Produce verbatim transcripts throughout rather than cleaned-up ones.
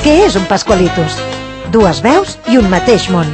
Què és un Pascualitos? Dues veus i un mateix món.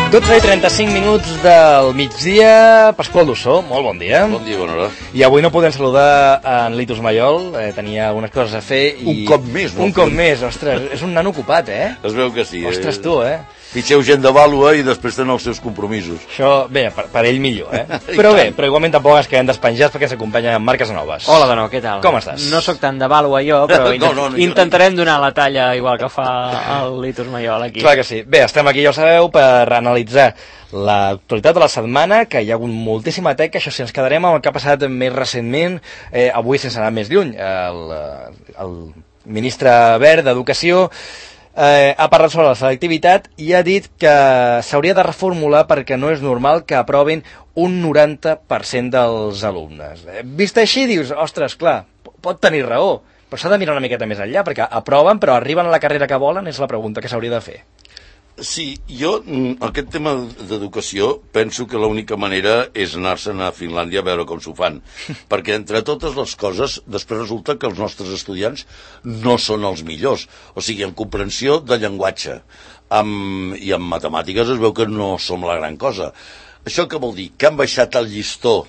dotze i trenta-cinc minuts del migdia. Pasqual Dussó, molt bon dia. Bon dia, bona hora. I avui no podem saludar en Litus Mayol, eh, tenia algunes coses a fer i... Un cop més, no? Un cop més, ostres, és un nano ocupat, eh? Es veu que sí. Ostres, tu, eh? Fitxeu gent de vàlua i després tenen els seus compromisos. Això, bé, per, per ell millor, eh? Però bé, però igualment tampoc ens quedem despenjats perquè s'acompanya amb Marc Casanovas. Hola, de nou, què tal? Com estàs? No sóc tan de vàlua jo, però no, no, no, intentarem donar la talla igual que fa el Litus Mayol aquí. Clar que sí. Bé, estem aquí, ja ho sabeu, per analitzar l'actualitat de la setmana, que hi ha hagut moltíssima teca, això sí, ens quedarem amb el que ha passat més recentment, eh, avui sense anar més lluny. El, el ministre Wert d'Educació eh, ha parlat sobre la selectivitat i ha dit que s'hauria de reformular perquè no és normal que aprovin un noranta per cent dels alumnes. Eh, vist així, dius, ostres, clar, pot tenir raó, però s'ha de mirar una miqueta més enllà, perquè aproven però arriben a la carrera que volen, és la pregunta que s'hauria de fer. Sí, jo, aquest tema d'educació, penso que l'única manera és anar-se'n a Finlàndia a veure com s'ho fan. Perquè, entre totes les coses, després resulta que els nostres estudiants no són els millors. O sigui, en comprensió de llenguatge amb, i en matemàtiques es veu que no som la gran cosa. Això què vol dir? Que han baixat el llistó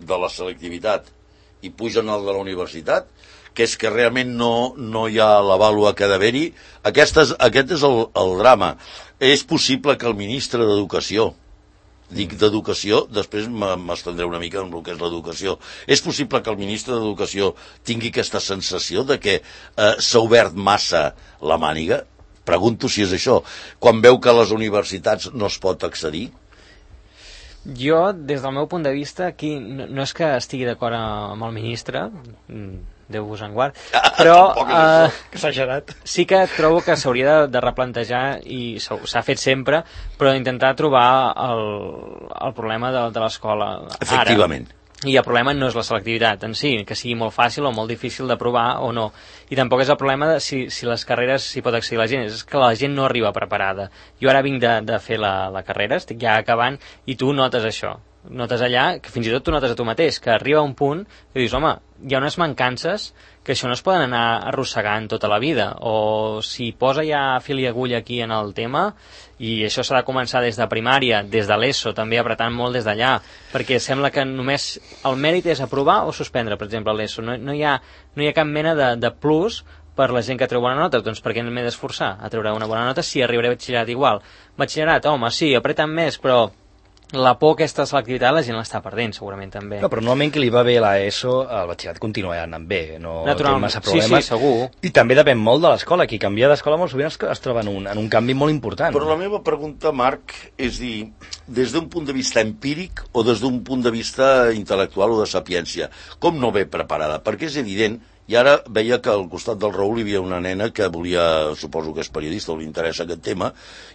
de la selectivitat i pugen el de la universitat? Que és que realment no, no hi ha la vàlua que ha d'haver-hi. Aquest és, aquest és el, el drama. És possible que el ministre d'Educació, dic d'Educació, després m'estendré una mica en el que és l'educació, és possible que el ministre d'Educació tingui aquesta sensació de que eh, s'ha obert massa la màniga? Pregunto si és això. Quan veu que a les universitats no es pot accedir? Jo, des del meu punt de vista, aquí no, no és que estigui d'acord amb el ministre, Déu vos en guard, però eh, exagerat. Sí que trobo que s'hauria de, de replantejar, i s'ha fet sempre, però d'intentar trobar el, el problema de, de l'escola. Efectivament. Ara. I el problema no és la selectivitat en si, que sigui molt fàcil o molt difícil d'aprovar o no. I tampoc és el problema de si, si les carreres s'hi pot accedir la gent, és que la gent no arriba preparada. Jo ara vinc de, de fer la, la carrera, estic ja acabant, i tu notes això. Notes allà, que fins i tot tu notes a tu mateix, que arriba un punt i dius, home, hi ha unes mancances que això no es poden anar arrossegant tota la vida, o si posa ja fil i agulla aquí en el tema, i això s'ha de començar des de primària, des de l'ESO, també apretant molt des d'allà, perquè sembla que només el mèrit és aprovar o suspendre, per exemple, l'ESO. No, no, hi ha, no hi ha cap mena de, de plus per la gent que treu bona nota. Doncs per què m'he d'esforçar a treure una bona nota si arribaré a batxillerat igual? Batxillerat, home, sí, apreten més, però la por aquesta selectivitat la gent l'està perdent, segurament, també. No, però normalment que li va bé a l'ESO, el batxillerat continua anant bé, no té massa problemes. Sí, sí, segur. I també depèn molt de l'escola. Qui canvia d'escola molt sovint es, es troba en un, en un canvi molt important. Però la meva pregunta, Marc, és dir, des d'un punt de vista empíric o des d'un punt de vista intel·lectual o de sapiència, com no ve preparada? Perquè és evident. I ara veia que al costat del Raül hi havia una nena que volia, suposo que és periodista o li interessa aquest tema,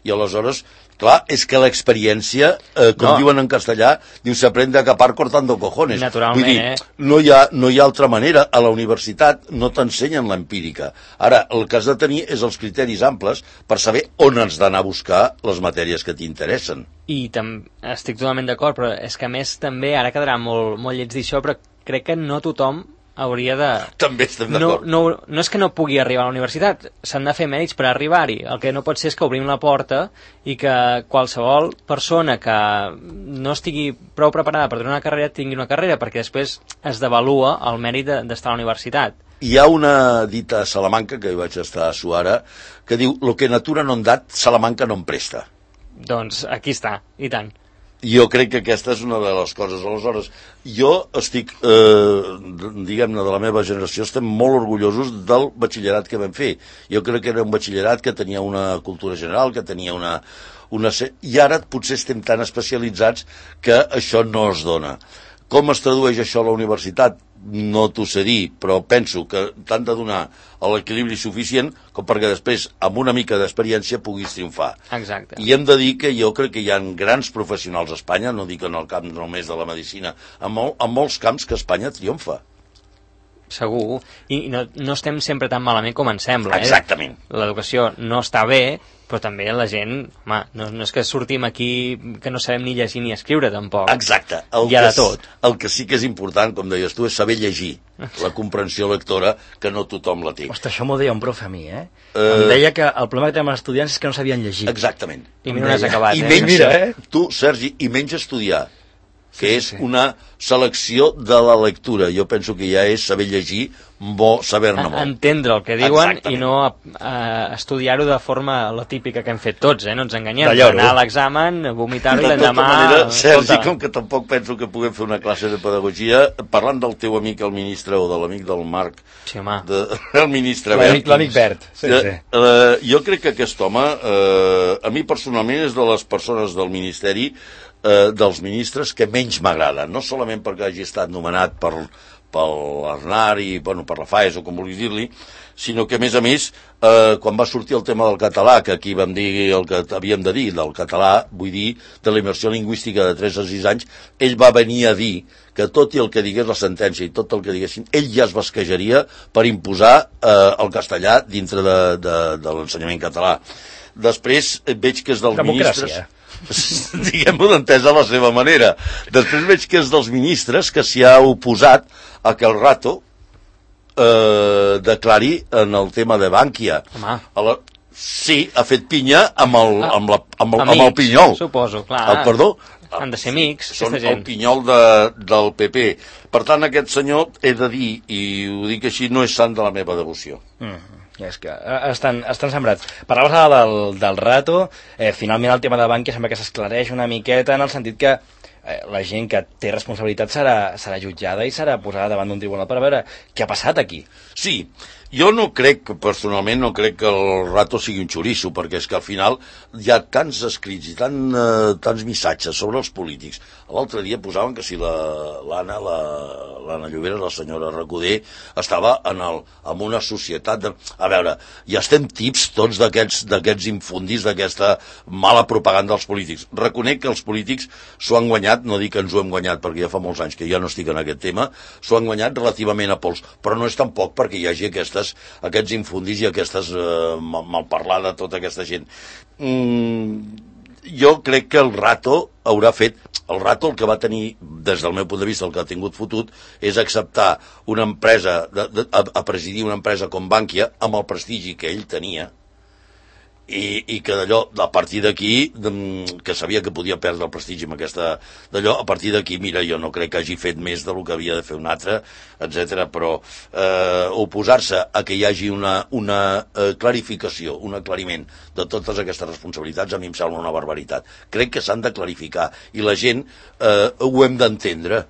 i aleshores, clar, és que l'experiència, eh, com no. diuen en castellà, diu, s'aprende a capar cortando cojones. Naturalment, Vull dir, eh? no hi, ha, no hi ha altra manera. A la universitat no t'ensenyen l'empírica. Ara, el que has de tenir és els criteris amples per saber on has d'anar a buscar les matèries que t'interessen. I estic totalment d'acord, però és que a més també, ara quedarà molt, molt lleig dir això, però crec que no tothom hauria de... També estem No, d'acord. no, no és que no pugui arribar a la universitat, s'han de fer mèrits per arribar-hi. El que no pot ser és que obrim la porta i que qualsevol persona que no estigui prou preparada per tenir una carrera tingui una carrera, perquè després es devalua el mèrit d'estar a la universitat. Hi ha una dita a Salamanca, que hi vaig estar a Suara, que diu, lo que natura no en dat, Salamanca no en presta. Doncs aquí està, i tant. Jo crec que aquesta és una de les coses. Aleshores, jo estic, eh, diguem-ne, de la meva generació, estem molt orgullosos del batxillerat que vam fer. Jo crec que era un batxillerat que tenia una cultura general, que tenia una... una... I ara potser estem tan especialitzats que això no es dona. Com es tradueix això a la universitat? No t'ho sé dir, però penso que t'han de donar l'equilibri suficient com perquè després, amb una mica d'experiència, puguis triomfar. Exacte. I hem de dir que jo crec que hi ha grans professionals a Espanya, no dic en el camp només de la medicina, en, mol, en molts camps que Espanya triomfa. Segur, i no, no estem sempre tan malament com ens sembla. Exactament. Eh? L'educació no està bé, però també la gent, home, no, no és que sortim aquí que no sabem ni llegir ni escriure, tampoc. Exacte. El Hi ha que, de tot. El que sí que és important, com deies tu, és saber llegir la comprensió lectora, que no tothom la té. Ostres, això m'ho deia un profe a mi, eh? Uh... Em deia que el problema que tenen els estudiants és que no sabien llegir. Exactament. I mira on has acabat, I eh? menys, Mira, eh? tu, Sergi, i menys estudiar, que Sí, és sí. una selecció de la lectura. Jo penso que ja és saber llegir, bo saber-ne molt. Entendre el que diuen Exactament. i no uh, estudiar-ho de forma la típica que hem fet tots, eh? No ens enganyem. De lloro. Anar a l'examen, vomitar-ho i De tota l'endemà... manera, Sergi, escolta, com que tampoc penso que puguem fer una classe de pedagogia, parlant del teu amic el ministre o de l'amic del Marc, Sí, home. de, el ministre L'amic Wert, l'amic Bert. Sí, eh, sí. eh, jo crec que aquest home, eh, a mi personalment és de les persones del Ministeri, eh, dels ministres que menys m'agrada, no solament perquè hagi estat nomenat per, per l'Arnar i bueno, per la FAES o com vulguis dir-li, sinó que a més a més, eh, quan va sortir el tema del català, que aquí vam dir el que havíem de dir, del català, vull dir, de la immersió lingüística de tres a sis anys, ell va venir a dir que tot i el que digués la sentència i tot el que diguessin, ell ja es basquejaria per imposar eh, el castellà dintre de, de, de l'ensenyament català. Després veig que és dels Democràcia. ministres... diguem-ho d'entesa a la seva manera. Després veig que és dels ministres que s'hi ha oposat a que el Rato eh, declari en el tema de Bànquia. Home. A la... Sí, ha fet pinya amb el, amb la, amb el, amb el Amics, pinyol. suposo, clar. El, perdó? Han de ser amics, Són aquesta gent. el pinyol de, del P P. Per tant, aquest senyor, he de dir, i ho dic així, no és sant de la meva devoció. Mm. És que eh, estan, estan sembrats. Parlaves ara del, del Rato, eh, finalment el tema de Bànquia sembla que s'esclareix una miqueta en el sentit que eh, la gent que té responsabilitat serà, serà jutjada i serà posada davant d'un tribunal per veure què ha passat aquí. Sí, jo no crec, personalment, no crec que el Rato sigui un xoriço, perquè és que al final hi ha tants escrits i tant, eh, tants missatges sobre els polítics. L'altre dia posaven que si l'Anna, la, l'Anna Llobera, la senyora Recoder, estava en, el, en una societat de... A veure, ja estem tips tots d'aquests infundis, d'aquesta mala propaganda dels polítics. Reconec que els polítics s'ho han guanyat, no dic que ens ho hem guanyat, perquè ja fa molts anys que ja no estic en aquest tema, s'ho han guanyat relativament a pols, però no és tampoc perquè hi hagi aquestes, aquests infundis i aquestes eh, malparlada tota aquesta gent. Mm, jo crec que el Rato haurà fet, el Rato el que va tenir, des del meu punt de vista, el que ha tingut fotut, és acceptar una empresa, de, de, a, a presidir una empresa com Bànquia, amb el prestigi que ell tenia, i, i que d'allò, a partir d'aquí, que sabia que podia perdre el prestigi amb aquesta d'allò, a partir d'aquí, mira, jo no crec que hagi fet més del que havia de fer un altre, etcètera, però eh, oposar-se a que hi hagi una, una eh, clarificació, un aclariment de totes aquestes responsabilitats, a mi em sembla una barbaritat. Crec que s'han de clarificar, i la gent eh, ho hem d'entendre.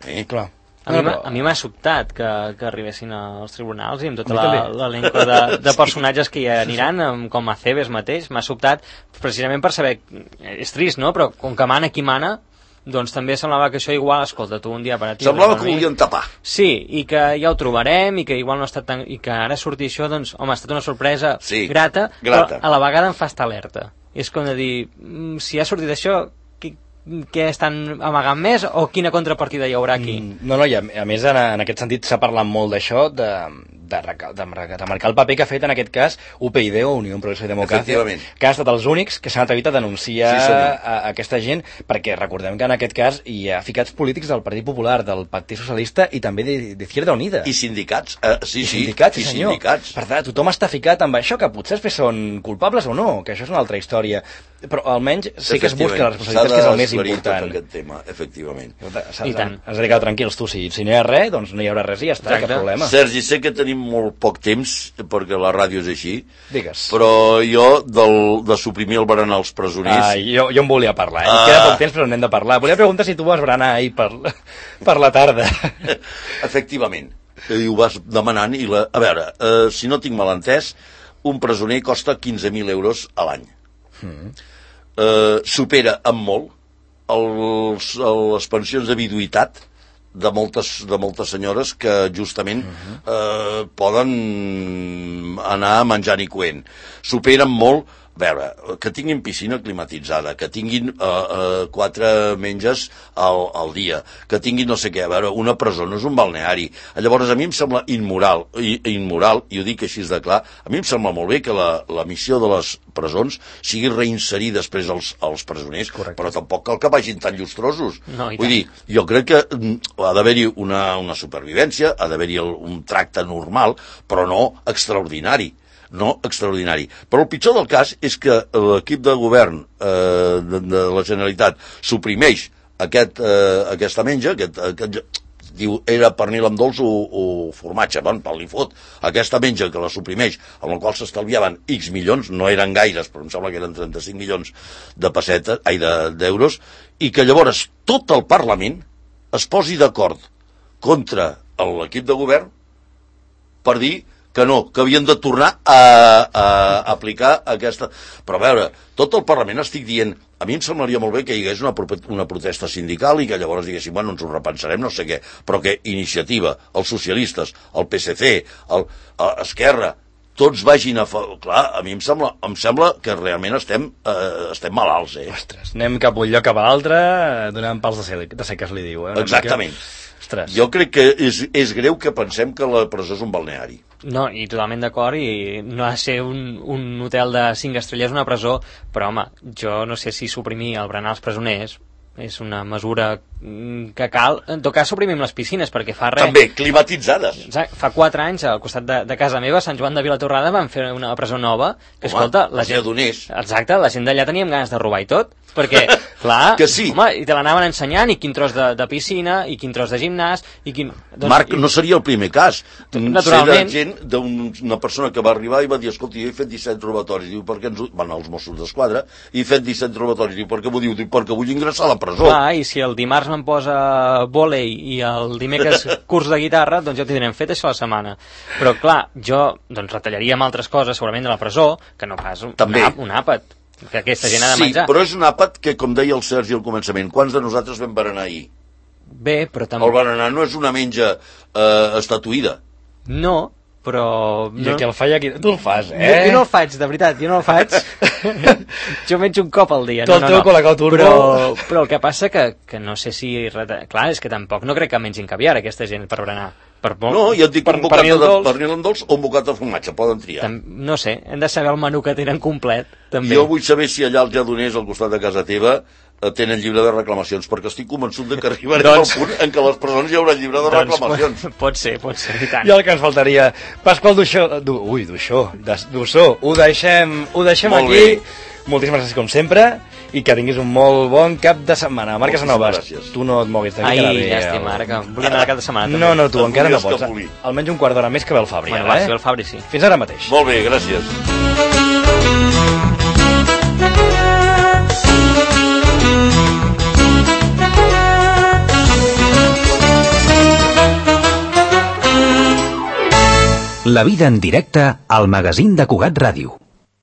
Eh? Clar. A mi, m'ha- a mi m'ha sobtat que, que arribessin als tribunals i amb tota A mi la- també. l'elenco de, de personatges que hi aniran, amb- com Aceves mateix, m'ha sobtat precisament per saber, és trist, no? Però com que mana qui mana, doncs també semblava que això igual, escolta, tu un dia per a ti... Semblava per que mi. volien tapar. Sí, i que ja ho trobarem, i que igual no ha estat tan... i que ara surti això, doncs, home, ha estat una sorpresa Sí, grata, grata. però a la vegada em fa estar alerta. I és com de dir, mm, si ha sortit això, qui, què estan amagant més o quina contrapartida hi haurà aquí? Mm, No, no, i a, a més en, en aquest sentit s'ha parlat molt d'això, de, de, reca- de, marcar- de marcar el paper que ha fet en aquest cas U P YD o Unió Progreso i Democràcia, Efectivament. que han estat els únics que s'han atrevit a denunciar Sí, senyor. a, a aquesta gent, perquè recordem que en aquest cas hi ha ficats polítics del Partit Popular, del Partit Socialista i també d'Izquierda Unida. I sindicats. Eh, sí, I sí, sindicats, i sí, senyor. sindicats. Per tant, tothom està ficat amb això, que potser després són culpables o no, que això és una altra història. Però almenys sí que es busca la responsabilitat, que és el més S'ha d'esclarir important. tot aquest tema, efectivament. S'ha- I tant. Has de dir que tranquils, tu, si, si no hi ha res, doncs no hi haurà res i ja està, Exacte. cap problema. Sergi, sé que tenim molt poc temps, perquè la ràdio és així, Digues. però jo del, de suprimir el berenar als presoners... Ah, jo, jo en volia parlar, eh? Ah. Queda poc temps, però n'hem de parlar. Volia preguntar si tu vas berenar ahir per, per la tarda. Efectivament, i ho vas demanant, i la... a veure, eh, si no tinc mal entès, un presoner costa quinze mil euros a l'any. Mm. Eh, supera amb molt els, les pensions de viduïtat de moltes, de moltes senyores que justament eh, poden anar menjant i coent. Superen molt a veure, que tinguin piscina climatitzada, que tinguin uh, uh, quatre menges al, al dia, que tinguin no sé què, a veure, una presó no és un balneari. Llavors, a mi em sembla immoral, i, immoral, i ho dic així de clar, a mi em sembla molt bé que la, la missió de les presons sigui reinserir després els, els presoners, correcte, però tampoc cal que vagin tan llustrosos. No, Vull dir, jo crec que ha d'haver-hi una, una supervivència, ha d'haver-hi un tracte normal, però no extraordinari. no extraordinari. Però el pitjor del cas és que l'equip de govern eh, de, de la Generalitat suprimeix aquest, eh, aquesta menja, aquest, aquest, diu, era pernil amb dolç o, o formatge, bon, pel li fot, aquesta menja que la suprimeix, amb la qual s'estalviaven X milions, no eren gaires, però em sembla que eren trenta-cinc milions de pessetes, ai, d'euros, i que llavors tot el Parlament es posi d'acord contra l'equip de govern per dir que no, que havien de tornar a, a aplicar aquesta... Però a veure, tot el Parlament estic dient, a mi em semblaria molt bé que hi hagués una, una protesta sindical i que llavors diguéssim, bueno, ens ho repensarem, no sé què, però que Iniciativa, els socialistes, el P S C, el, el Esquerra, tots vagin a... Fa... Clar, a mi em sembla, em sembla que realment estem, eh, estem malalts, eh? Ostres, anem cap un lloc cap a l'altre, donant pals de ser, de ser que es li diu, eh? Exactament. Ostres. Jo crec que és, és greu que pensem que la presó és un balneari. No, i totalment d'acord, i no ha de ser un, un hotel de cinc estrelles una presó, però home, jo no sé si suprimir el berenar als presoners és una mesura que cal. En tot cas suprimim les piscines, perquè fa res... També, climatitzades. Exacte, fa quatre anys al costat de, de casa meva, a Sant Joan de Vilatorrada, van fer una presó nova, que home, escolta, la gent... Donés. Exacte, la gent d'allà teníem ganes de robar i tot, perquè, clar, que sí. Home, i te l'anaven ensenyant, i quin tros de, de piscina, i quin tros de gimnàs, i quin... Doncs, Marc, i... no seria el primer cas. Naturalment. Sé de gent, d'una persona que va arribar i va dir, escolta, jo he fet disset robatoris, diu, per què ens... Van als Mossos d'Esquadra, i he fet disset robatoris, diu, per què m'ho diu? Diu, perquè vull ingressar a la presó. Clar, i si el dimarts me'n posa vòlei i el dimecres curs de guitarra, doncs ja ho tindrem fet això la setmana. Però clar, jo doncs retallaria amb altres coses, segurament de la presó, que no pas un, També. un àpat, que aquesta gent ha de menjar. Sí, però és un àpat que, com deia el Sergi al començament, quants de nosaltres vam berenar ahir? Bé, però també... El berenar no és una menja eh, estatuïda. No, però... I el que el faig aquí... Tu el fas, eh? Jo, jo no el faig, de veritat, jo no el faig. Jo menjo un cop al dia. Tot no, no, teu no. Colacao Turbo. Però, però el que passa que, que no sé si... Clar, és que tampoc no crec que mengin caviar aquesta gent per berenar. Per, no, jo et dic per, un bocat de pernil amb dolç o un bocat de formatge, poden triar. Tam, no sé, hem de saber el menú que tenen complet, també. Jo vull saber si allà als Lledoners, al costat de casa teva, tenen llibre de reclamacions, perquè estic convençut de que arribarem doncs... al punt en què les persones hi haurà llibre de doncs, reclamacions. Pot, pot ser, pot ser, i tant. I el que ens faltaria, Pasqual Duixó, du, ui, Duixó, Dussó, ho deixem, ho deixem molt aquí. Bé. Moltíssimes gràcies com sempre i que tinguis un molt bon cap de setmana. Marc Casanovas, tu no et moguis d'aquí. Ai, llàstima, ara que volia anar cap de setmana també. No, no, tu encara no pots. Almenys un quart d'hora més que ve el Fabri. Bueno, va, si ve el Fabri, sí. Fins ara mateix. Molt bé, gràcies. La vida en directe al magazín de Cugat Ràdio.